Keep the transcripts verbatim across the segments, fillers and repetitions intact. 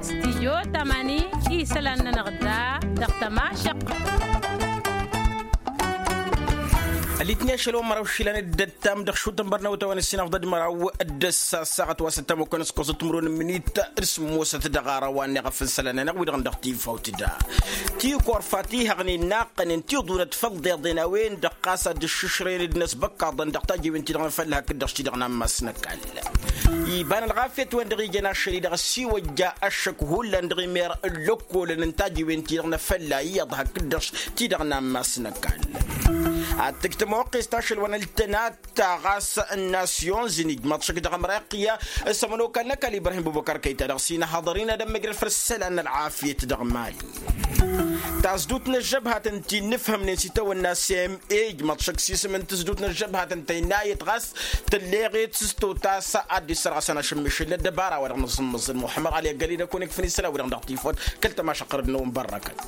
Stijyo tamani isălan-nănăɣ da dăɣ-tămašăq. Ălitni ašăl wa n-măraw išilan dd-ăttam dăɣ-išutăn bărnăwătawăn ăssinăɣ d-ad-măraw d-ăssa ăssaɣăt wa s-ăttam okănăskosăt timǝrwen n-imǝnit d-sǝmmosăt dăɣ-ara wa n-iɣăf n-isălan-nănăɣ wi-dăɣ n-dăɣ-tifawt da. Tikor fatiha ɣǝnin naqqănen tiḍunăt făll-deḍen a-wen-dăɣ ɣas ad-dd-iššǝšrăyăn d-inăsbăkkaḍăn dăɣ-tajiwen-ti-dăɣ n-afălla hakd-dăɣ s-ti-dăɣ n-ammas n-ăkall. Iba n-ălɣafyăt-wen-dăɣ ijăn ašăl-i dăɣ-ăssiwăjja ăššăk hullan dăɣ-imer n-lăkkolăn n-tajiwen-ti-dăɣ n-afălla iyyăḍ hakd-dăɣ s-ti-dăɣ n-ammas n-ăkall. Ad-tǝj tămoqqest ašăl wa n-ăltănat ta ɣas n-nasyon zǝnij măḍšăk dăɣ-ămreqya s-ămănokal n-ăkall ibrahim bubăkar kăyta dăɣ-s inhăḍăr-in ad-ămmăjrăd făll-isălan n-ălɣafyăt dăɣ-mali. Tasdut n-ăžžăbhat ǝnta innǝfhămnen s-itawănna s-e-m ej măḍšăk s-isǝm n-tasdut n-ăžžăbhat ǝnta innayăt ɣas tǝlleɣet s-totas ad-dd-issărɣăsăn ašǝmmišǝl n-ăddăbara wa dăɣ-nǝẓǝmmǝẓǝl muḥămmăd ɣali ăggăled ăkun ikfǝn isălan wi-dăɣ dăɣ-tifot kăl-tămašăqqărăd-năwăn bărrăkăt.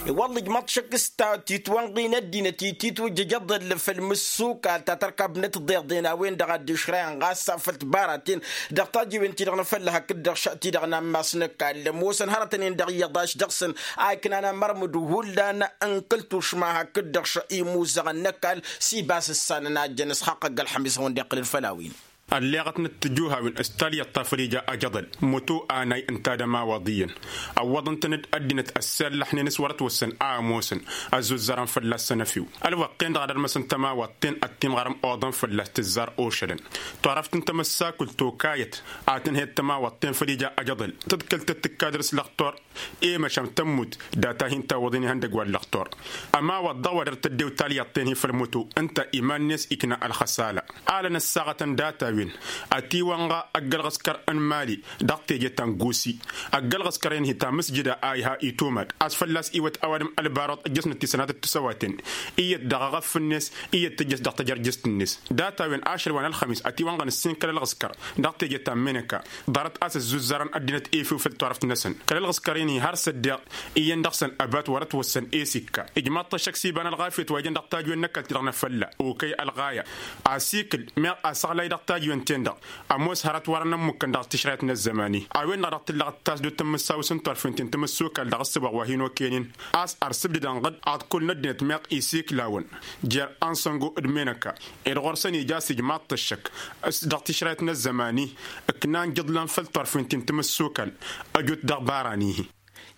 I-wălla ijmaḍ-t šăkk s-ta titwănɣi n-ăddinăt i-titwǝjjăj aḍăl făll-mǝssukal ta tărkabnăt tiḍeḍen a-wen-dăɣ a dd-išrăyăn ɣas afăl tibaraten dăɣ-tajiwen-ti-dăɣ n-afălla hakd-dăɣ šăt-ti-dăɣ n-ammas n-ăkall ămoosăn hărătăn-en-dăɣ iyyăḍ a-s dăɣ-săn a iknan amărmǝd hullan n-kăl-tušma hakd-dăɣ šăt imuzăɣăn n-ăkall s-ibas ǝssanăn a ǝjjăn ǝsxaqq ăgg-ălxămis a wăn-dd-iqqǝlăn făll-a-wen. Ălleɣătnăt tijuhawen s-talyaḍt ta făl ija ajăḍăl mutu anay ǝnta d-ămawaḍ iyyăn ăwwăḍăn-tăn-dd ăddinăt ăssellăḥnen s-wăr-ătwăssăn a ămoosăn ăzzuzzărăn fălla-săn ăfiw. Ălwăqq-en-dăɣ ad-ălmăsăn tămawaḍt-ten ad-timɣărăm oḍăn fălla-s tǝzzar ošălăn turăft n-tamăssakult tokayăt a tǝnhăyăt tămawaḍt-ten făl ija ajăḍăl tǝḍkăl-tăt tǝkkadăr s-lăxtur i-măšan tămmut data hin-tawwăḍen ihăndăgg wa n-lăxtur. Ămawaḍ dăɣ-wa dăr-tăddew talyaḍt-ten-hi făll-mutu ǝnta iman-net ikna ălxăsala. Alăn ăssaɣătăn data-wen ătiwănɣa ăgg-ălɣǝskăr n-mali dăɣ-teje ta n-gusi. Ăgg-ălɣǝskăr-en-hi ta mǝsjǝda a iha itumad a-s fălla-s iwăt ăwadǝm ălbaruḍ ǝjjăsnăt tisănatăt tisăwaten iyyăt dăɣ-eɣăf-net iyyăt tǝjjăs dăɣ-tajărjǝst-net. Data-wen ašăl wa n-ălxămis ătiwănɣăn ǝssin kăl-ălɣǝskăr dăɣ-teje ta n-menăka ḍarăt a-s ăzzuzzărăn ăddinăt efew făll-turăft-năsăn kăl-ălɣǝskăr-in-hi har s-ăddeɣ iyyăn dăɣ-săn ăbat wăr-ătwăssăn e-s ikka. Ijmaḍ-t ăššăk s-iba n-ălɣafyăt wa ijăn dăɣ-tajwen n-ăkall-ti-dăɣ n-afălla okăy ălɣaya asikǝl meɣ asăɣlay dăɣ-tajwen-ten-dăɣ ămoos hărăt wărăn ămmukăn dăɣ-tǝšrayăt n-ăzzăman-i a-wen-dăɣ dăɣ-tǝllăɣăt tasdut n-imǝssawǝs n-turfen-ti n-timǝssukal dăɣ-ǝssǝbaɣ wa hin-okăyăn-in a-s ărsǝbdǝd-ănɣăd aḍkul n-ăddinăt meɣ isikǝl-awăn jer ansăngo d-menăka ed ɣur-săn ija a-s ijmaḍ-t ăššăk dăɣ-tǝšrayăt n-ăzzăman-i ǝknan jǝḍlan făll-turfen-ti n-timǝssukal ăjut dăɣ-ibarani-hi.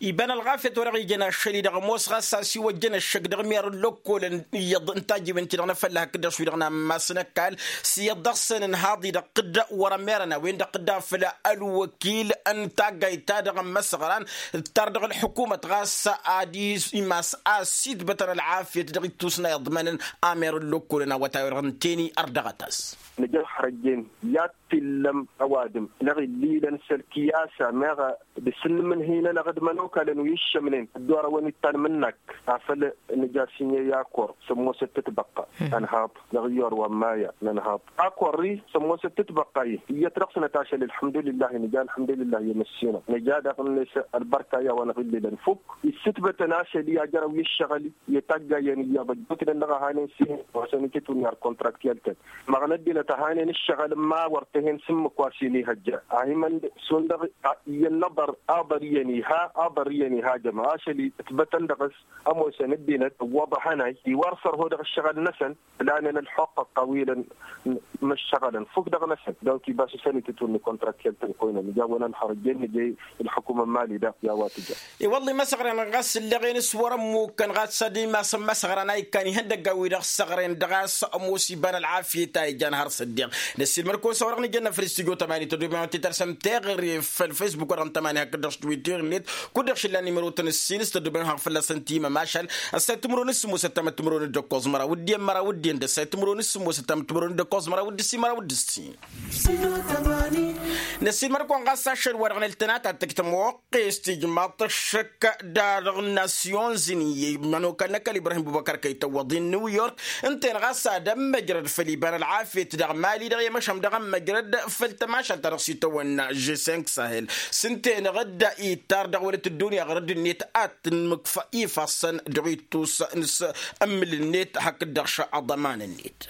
Iba n-ălɣafyăt wa-dăɣ ijăn ašăl-i-dăɣ ămoos ɣas a-s iwăjjăn ăššăk dăɣ-imer n-lăkkolăn iyyăḍ n-tajiwen-ti-dăɣ n-afălla hakd-dăɣ šwi-dăɣ n-ammas n-ăkall s-iyyăḍ dăɣ-săn ǝnhaḍ-i-dăɣ dd-wăr-ămerăn a-wen-dăɣ dd-afăl ălwăkil n-taggayt-ta-dăɣ n-imăsɣăran ǝttar dăɣ-ălḥukumăt ɣas ad-imas a-s itbătăn ălɣafyăt dăɣ-ittus n-a iḍmănăn amer n-lăkkolăn awătay-wa-dăɣ ǝnta-en-i ărdăɣăt-as. Nǝja ălxărăjjen i-ad-t-illăm ăwadǝm dăɣ-illilăn s-ălkiyasa meɣ d-asǝnnǝm n-hin-ănăɣ d-imănokalăn wi ǝššămnen ăddoorăwăn ittan mǝnnăk afăl nǝja s-inye i-akor s-ămoosăt tǝtbăqqa ănhaḍ dăɣ-iyyăr wa n-maya n-ănhaḍ akor-i s-ămoosăt tǝtbăqqa-i iyyăt dăɣ-sănăt ašăl ălḥămdulillah nǝja ălḥămdulillah i-măssinăɣ nǝja daɣ-net ălbărka i-a-wa n-aɣǝllǝlăn fukk issǝtbătăn ašăl i-ajărăw i-ǝššăɣǝl i-taggayăn iyyăḍ ăjjootnen dăɣ-ăhanen s-ihăn wa săn-itǝtwǝnni ar kontraktiyal-tăn măɣnăt dinăt ăhanen ǝššăɣǝl n-ma wăr t-hen s-ǝmmǝk wa s-inihăjja a himăn šund dăɣ-iyyăn n-aḍăr aḍăr iyyăn iha aḍăr iyyăn iha jăma ašăl-i ǝtbătăn dăɣ-s ămoosăn ăddinăt ǝwwăḍăhăn-ay iwar sărho dăɣ-ǝššăɣǝl-năsăn ǝlanen ălxuqqăɣ tawilăn măššăɣălăn fukk dăɣ-năsăn donc ibas isăn itǝtwǝnni kontraktiyal-tăn koynen ija a-wen ălxărăjjen nǝjăy ălxukuma n-mali daɣ i-a-wa tǝja. I-wălla imăsăɣren ɣas ǝlleɣen s-wăr-ămmukkăn ɣas ad-imasăn imăsăɣran a ikkan ihăndăggan-wi-dăɣ săɣren dăɣ-a-s ămoos iba n-ălɣafyăt a ijan har s-ăddiɣ. Năssiilmăd-kăwăn s-a-wa-dăɣ nǝjănna făll-istudyo tămani tăddoben wa t-tărsăm teɣăre făll-facebook wa dăɣ-n tămani hakd-dăɣ s-twitter-net kud-dăɣ šillan nimăro-tăn ǝssin s-tăddoben wa fălla-săn timăm ašăl ăssay timǝrwen s-sǝmmosăt tamăt timǝrwen d-ăkkoẓ măraw d-iyyăn măraw d-iyyăn d-ăssay timǝrwen s-sǝmmosăt tamăt timǝrwen d-ăkkoẓ măraw d-ǝssin măraw d-ǝssin. Năssiilmăd-kăwăn ɣas ašăl wa dăɣ-năltănat ad-tăjj tămoqqest ijmaḍ-t ăššăk d-ad-dăɣ-nasyon zǝnǝy i-mănokal n-ăkall ibrahim bubăkăr kăy-tăwwăḍ-in new york ǝnta-en ɣas ad-ămmăjrăd făll-iba n-ălɣafyăt dăɣ-mali-dăɣ i-măšan dăɣ-ămmăjrăd făll-tămašalt-ta-dăɣ s-itawănna g cinq sahel s-ǝnta-enăɣ-dd itar dăɣ-wălăt ăddunya ɣărădd-net ad-tǝnmǝkfa ifassăn dăɣ-ittus n-s ǝmmǝl-net hakd-dăɣ šăḍăman-net.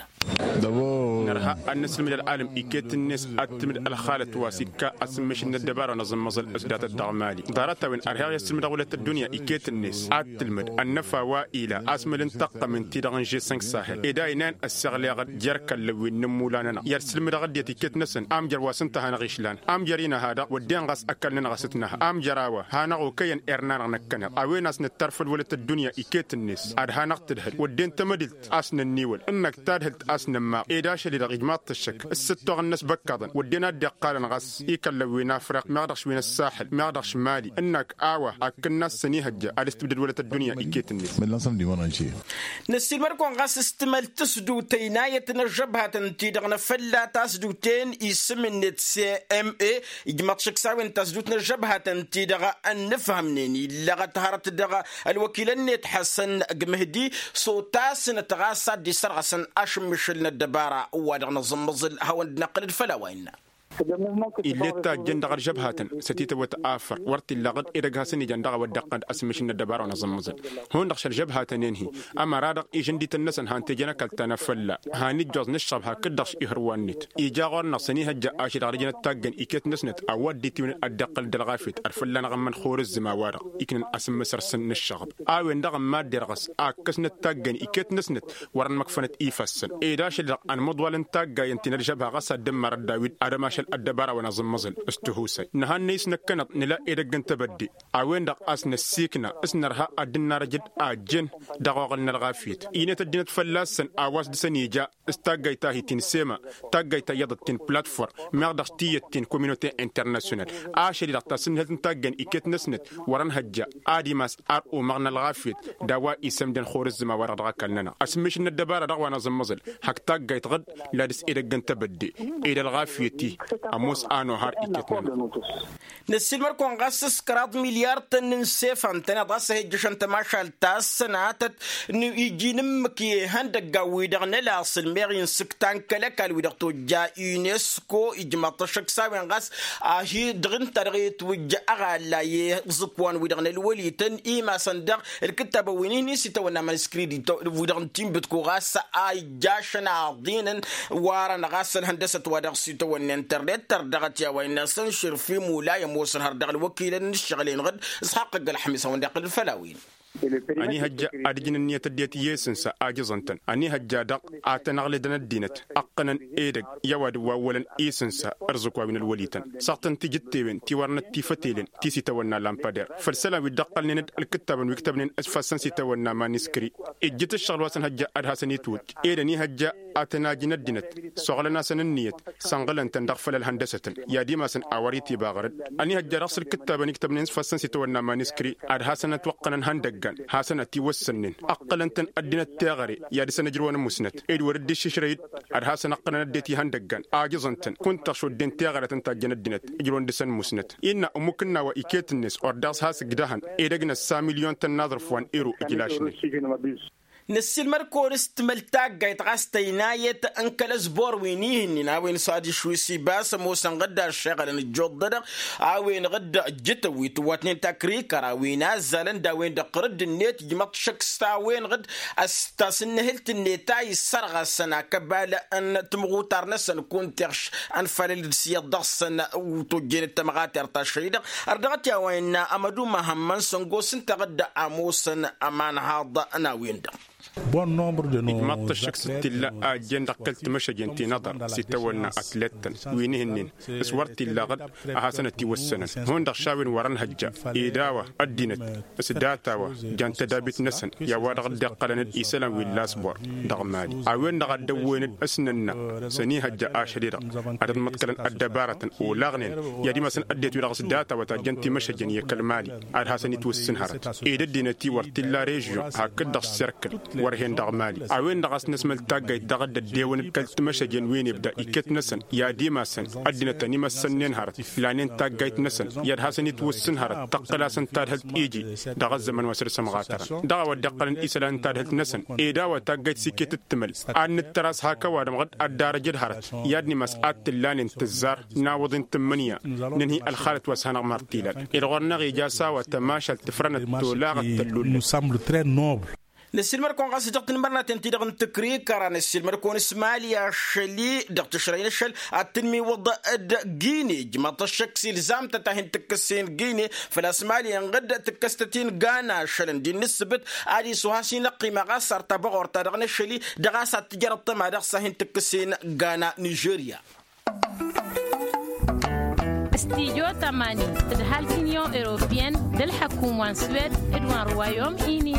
Nărha ad-nǝsǝlmǝd ălɣalăm iket-net ad-tǝlmǝd ălxalăt wa s-ikka asǝmmǝšǝl n-ăddăbara wa n-aẓǝmmăẓǝl s-datăt dăɣ-mali. Ḍarăt-a-wen ărheɣ i-ăssǝlmǝdăɣ wăla tăddunya iket-net ad-tǝlmǝd ănnăfa wa ila asmăl n-taqqămen-ti-dăɣ n-žesănk sahel ed a inayăn ăssiɣleɣ-dd jer-kăllăn wi n-inǝmmulan-anăɣ i-ad-sǝlmǝdăɣ ăddinăt iket-năsăn. Amjăr wa s-ǝnta a hanăɣ-išlan amjăr-in a-ha-dăɣ wădden ɣas ăkall-nănăɣ a-s ǝtnăha amjăr a-wa hanăɣ-okăyăn irna-năɣ năkkăneḍ a-wen a-s nǝttarfăl wăla tăddunya iket-net ad-hanăɣ-tǝdhǝl wădden tamădǝlt a-s nănniwăl ǝnnăk tadhǝlt a-s nămmaɣ ed ašăl-i-dăɣ ijmaḍ-t ăššăk. Ǝssǝttoɣăn-năs băkkaḍăn wădden a dd-iqqalăn ɣas ikăllăn wi n-afriq meɣ dăɣ-š wi n-ăssaxǝl meɣ dăɣ-š mali ǝnnăk a-wa hakkăn-nas sănihăjja ad-ǝstǝbdăd wăla tăddunya iket-net. Năssiilmăd-kăwăn ɣas s-timăl tǝsdut ăynayăt n-ăžžăbhatăn-ti-dăɣ n-afălla tasdut-en isǝm-net s m a ijmăḍ šǝksawen tasdut n-ăžžăbhatăn-ti-dăɣ ănnǝfhămnen illăɣăt hărăt dăɣ-ălwăkilăn-net ḥăsăn g-mǝhdi s-otasnăt ɣas ad-dd-isărɣăsăn ašǝmmǝšǝl n-ăddăbara wa dăɣ-năẓǝmmăẓǝl hawăn-dd-năqqǝlăd făll-a-wa innă. Illet tajjăn dăɣ-ălžăbhatăn s-ătităwăt afăr wăr t-illa aɣǝd edăgg hasăn-ijan dăɣ-a-wa dd-iqqăn d-asǝmmǝšǝl n-ăddăbara wa n-aẓǝmmǝẓǝl. Hundăɣ šălžăbhatăn-en-hi ămăra-dăɣ ižǝndităn-năsăn han-t-ejăn ăkall ta n-afălla. Hannǝjjoẓ n-ǝššăɣb hakd-dăɣ š-ihǝrwan-net ija ɣur-năɣ sănihăjja ašăl-i-dăɣ dd-ijăn ăttaggen iket-năsnăt a-wa dd-itiwǝnăn ad-dd-iqqǝl d-ălɣafyăt ar fălla-năɣ ǝmmăn xurǝzzǝm a-wa-dăɣ iknăn asǝmmǝsăr-săn n-ǝššăɣb. A-wen-dăɣ ămmaddăr ɣas a ǝkkăsnăt taggen iket-năsnăt wărăn măkfănăt ifassăn ed ašăl-i-dăɣ ănmăḍwal n-taggayăn ti n-ălžăbha ɣas ad-dd-ămmăr ăddawid ad-ămašal ăddăbara wa n-aẓǝmmăẓǝl. S-tihusay nǝhannăy s-năkkăneḍ nǝla edăgg n-tebădde a-wen-dăɣ a-s năssiikna s-nărha ad-dd-narăj d-ajjen dăɣ-oɣǝl n-ălɣafyăt. Inăt ăddinăt fălla-săn a-wa s-dăr-săn ija s-taggayt ta hi-ti n-sema taggayt ta iyyăḍăt ti n-platform meɣ dăɣ-tiyyăt ti n-kominote internasyonal. Ašăl-i-dăɣ tasǝnnǝhǝlt n-taggen iket-năsnăt wăr-ănhăjja ad-imas ar umăɣ n-ălɣafyăt d-a-wa isămdăn xurǝzzǝm a-wa-dăɣ dăɣ-ăkall-nănăɣ asǝmmǝšǝl n-ăddăbara-dăɣ wa n-aẓǝmmăẓǝl. Hak taggayt ɣǝd la dăr-s edăgg n-tebădde ed ălɣafyăt-i ămoos a nohar iket-nănăɣ. Năssiilmăd-kăwăn ɣas s-kăraḍ milyar-tăn n-sefan-tăn iḍas a hi-ǝjjăšăn tămašalt ta s-sănatăt iji n-ǝmmǝk i-ihăndăggan-wi-dăɣ n-ălasǝl meɣ insǝktan kăl-ăkall-wi-dăɣ tojja unesco ijmaḍ-t ăššăk s-a-wen ɣas a hi-dăɣ ǝnta-dăɣ itwǝjj ăɣalla i-iẓǝkwan-wi-dăɣ n-ălwălităn imasăn dăɣ-ǝlkǝttabăn wi n-ihni s-itawănna maniskri d-wi-dăɣ n-tinbǝtku ɣas a ijjašăn aḍinăn warăn ɣas ălhăndăsăt wa dăɣ-s itawănna internet tărdăɣăt i-a-wa innă săn širfi mula i-ămoosăn har dăɣ-ălwăkilăn n-ǝššăɣǝl-enăɣ d-isxaqq ăgg-ălxămis a-wen-dd-iqqǝl făll-a-wen. Ănihăjja ad-ǝjǝn ǝnniyăt ăddinăt i-isǝnsa ajǝẓăn-tăn ănihăjja-dăɣ ad-tăn-ăɣlǝdăn ăddinăt ǝqqǝnăn edăgg i-ăwadǝm wa ǝwwălăn isǝnsa ǝrzǝk wa wi n-ălwălităn. Săɣtăn tijǝttewen ti wărăn ăttifătelen ti s-itawănna lampăder făll-isălan wi dd-ăqqălnen d-ǝlkǝttabăn wi ǝktăbnen s-ifassăn s-itawănna maniskri. Ijjǝt ǝššăɣǝl wa s-ănhăjja ad-hasăn-itwǝjj ed ănihăjja ad-tăn-ajǝn ăddinăt s-oɣlăn-asăn ǝnniyăt sănɣǝlăn-tăn dăɣ-făll-ălhăndăsătăn i-ad-imasăn a wăr-itibăɣrăd. Ănihăjja dăɣ-s ǝlkǝttabăn iktăbnen s-ifassăn s-itawănna maniskri ad-hasăn-ătwăqqănăn ihăndăggan hasăn-ătiwăssănnen ǝqqǝlăn-tăn ăddinăt teɣăre i-ad-dăr-săn ǝjrǝwăn musnăt ed wăr-dd-iššǝšrăy-dd ad-hasăn-ǝqqǝlăn ăddinăt ihăndăggan ajǝẓăn-tăn kunta šodden teɣăre a tăn-tajjăn ăddinăt ǝjrǝwăn dăr-săn musnăt. Innă ămmuk ǝnna wa iket-net ordaɣ s-has-ǝgdăhăn edăgg n-ăssa milyon-tăn n-aẓrǝf wa n-ero ǝjlašnen. Năssiilmăd-kăwăn s-timăl taggayt ɣas tăynayăt n-kăl-ăsbor wi n-ihǝnnin a-wen s-adiš wi s-ibas ămoosăn ɣǝdda ăššeɣălăn ǝjjuḍ-dăɣ a-wen ɣǝdda ǝjjǝtăn wi tǝwwătnen takrikăra wi n-azzalăn d-a-wen-dăɣ tărǝdd-net ijmăḍ šăkk s-a-wen ɣǝd. A-s tasǝnnǝhǝlt-net a issărɣăsăn akăbal n-timɣutar-năsăn kunta iɣš ănfalăl-dd s-iyyăḍ dăɣ-săn tojjenăt tămɣatert ašăl-i-dăɣ. Ărdăɣăt i-a-wa innă amădu măhămmăn săngoss ǝnta ɣǝdda ămoosăn ămanhaḍ n-a-wen-dăɣ. Ijmaḍ-t ăššăk s-t-illa a ǝjjen dăɣ-kăl-timăšăjen ti n-aḍar s-itawănna ătlăttăn wi n-ihǝnnin s-wăr t-illa ɣǝd a hasăn-ătiwăssănăn hundăɣ šawen wăr-ănhăjja ed a-wa ăddinăt s-data-wa jan tădabit-năsăn i-a-wa-dăɣ dd-iqqălăn-dd isălan wi n-lasbor dăɣ-mali. A-wen-dăɣ a dd-ăwwăyăn-dd s-nǝnna s-ănihăjja ašăl-i-dăɣ ad-ăḍmăḍkălăn ăddăbarătăn olaɣnen i-ad-imasăn ăddinăt-wi-dăɣ s-data-wa tajjăn timăšăjen i-kăl-mali ad-hasăn-itwǝssǝn hărăt ed ăddinăt-i wăr t-illa režyon hakd-dăɣ s-serkǝl wăr hen dăɣ-mali. A-wen-dăɣ a-s năsmăl taggayt daɣ dd-ăddewăn d-kăl-timăšăjen wi n-ibda iket-năsăn i-ad-imasăn ăddinăt ănimăssănnen hărăt lanen taggayt-năsăn i-ad-hasăn-itwǝssǝn hărăt tăqqǝl-asăn tadhǝlt iji dăɣ-ăzzăman wa săr-s ămɣatărăn dăɣ-a-wa dd-iqqălăn isălan n-tadhǝlt-năsăn. Ed a-wa taggayt s-iket d-timăl ad-nǝttăr a-s hak ăwadǝm ɣǝd ad-darăj d-hărăt i-ad-nimas ad-t-ǝllanen tǝzzar n-awǝḍi n-tǝmmǝnǝya nǝnhǝy ălxalăt wa s-hanăɣ-măr t-ilan ed ɣur-năɣ ija s-a-wa tămašalt tǝfrănăt tolaɣăt tăllullăt. Năssiilmăr-kăwăn ɣas dăɣ-tinmărnaten-ti-dăɣ n-tǝkrikăra năssiilmăr-kăwăn s-mali ašăl-i dăɣ-tǝšrăy n-ašăl ad-tǝnmiwǝḍ d-gine ǝjmăḍ-t ăššăk s-ilzam-tăt a hin-tǝkkǝs-in gine. Făl-a-s mali inɣǝd tǝkkăs-tăt-in gana ašăl ǝndi n-ǝssǝbǝt ad-isuha s-inăqqima ɣas ar tabăɣort-ta-dăɣ n-ašăl-i dăɣ-a-s ad-tǝjrăḍ tăma dăɣ-s a hin-tǝkkǝs-in gana nižerya. Studyo tămani d-ăhalǝt unyon europeyăn d-ălḥăkum wa n-swed d-wa n-ruwayom ini.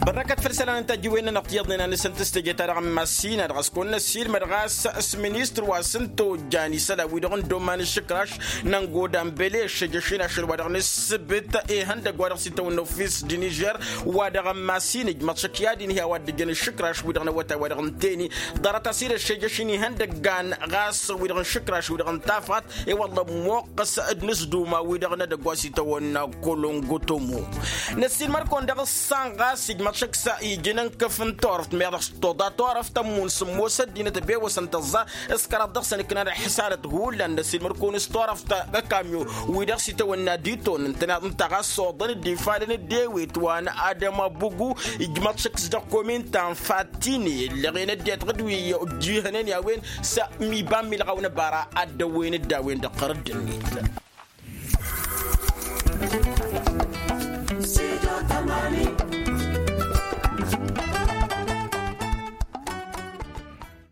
Bărnăkăt făll-isălan n-tajǝwen-nănăɣ tiyyăḍnen a nǝsǝnt s-teje-ta-dăɣ n-massina dăɣ-s kăwăn-năssiilmăd ɣas s-ministăr wa s-ǝnta ojjan isălan-wi-dăɣ n-doman n-išǝkraš n-ăngodan bele ăššejăš-in ašăl wa dăɣ-nǝssǝbǝt ihăndăgg wa dăɣ-s itawănna ofis d-nižer wa dăɣ-n masin ǝjmăḍ šăkk i-ad-inhǝy a-wa dd-ǝjăn išǝkraš-wi-dăɣ n-awătay wa dăɣ-nǝnteni. Ḍarăt-as-dd ăššejăš-in ihăndăggan ɣas wi-dăɣ n-išǝkraš-wi-dăɣ n-tafɣat i-wălla ămmoqqăs d-inǝzduma-wi-dăɣ n-edăgg wa s-itawănna kolongotomo. Năssiilmăr-kăwăn dăɣ-ǝssan ɣas ijmăḍ šăkk s-ija n-inkǝf n-turăft meɣ dăɣ-s toḍa turăft ămmun sǝmmos ăddinăt ăbewăsăn tăẓẓa s-kăraḍ dăɣ-săn ǝknan ălḥǝsanăt hullan năssiilmăr-kăwăn s-turăft ăkamyo wi-dăɣ s-itawănna diton ǝntăneḍ ǝnta ɣas s-oḍăn dd-ifalăn dd-ewet wa n-adăma bugu. Ijmăḍ šăkk s-dăɣ kominta n-fattine ǝllăɣen ăddinăt ɣǝd wi ǝjjihănen i-a-wen s-iba n-milɣaw n-ăbara ad-dăwwen dd-a-wen dăɣ-tărădd-net.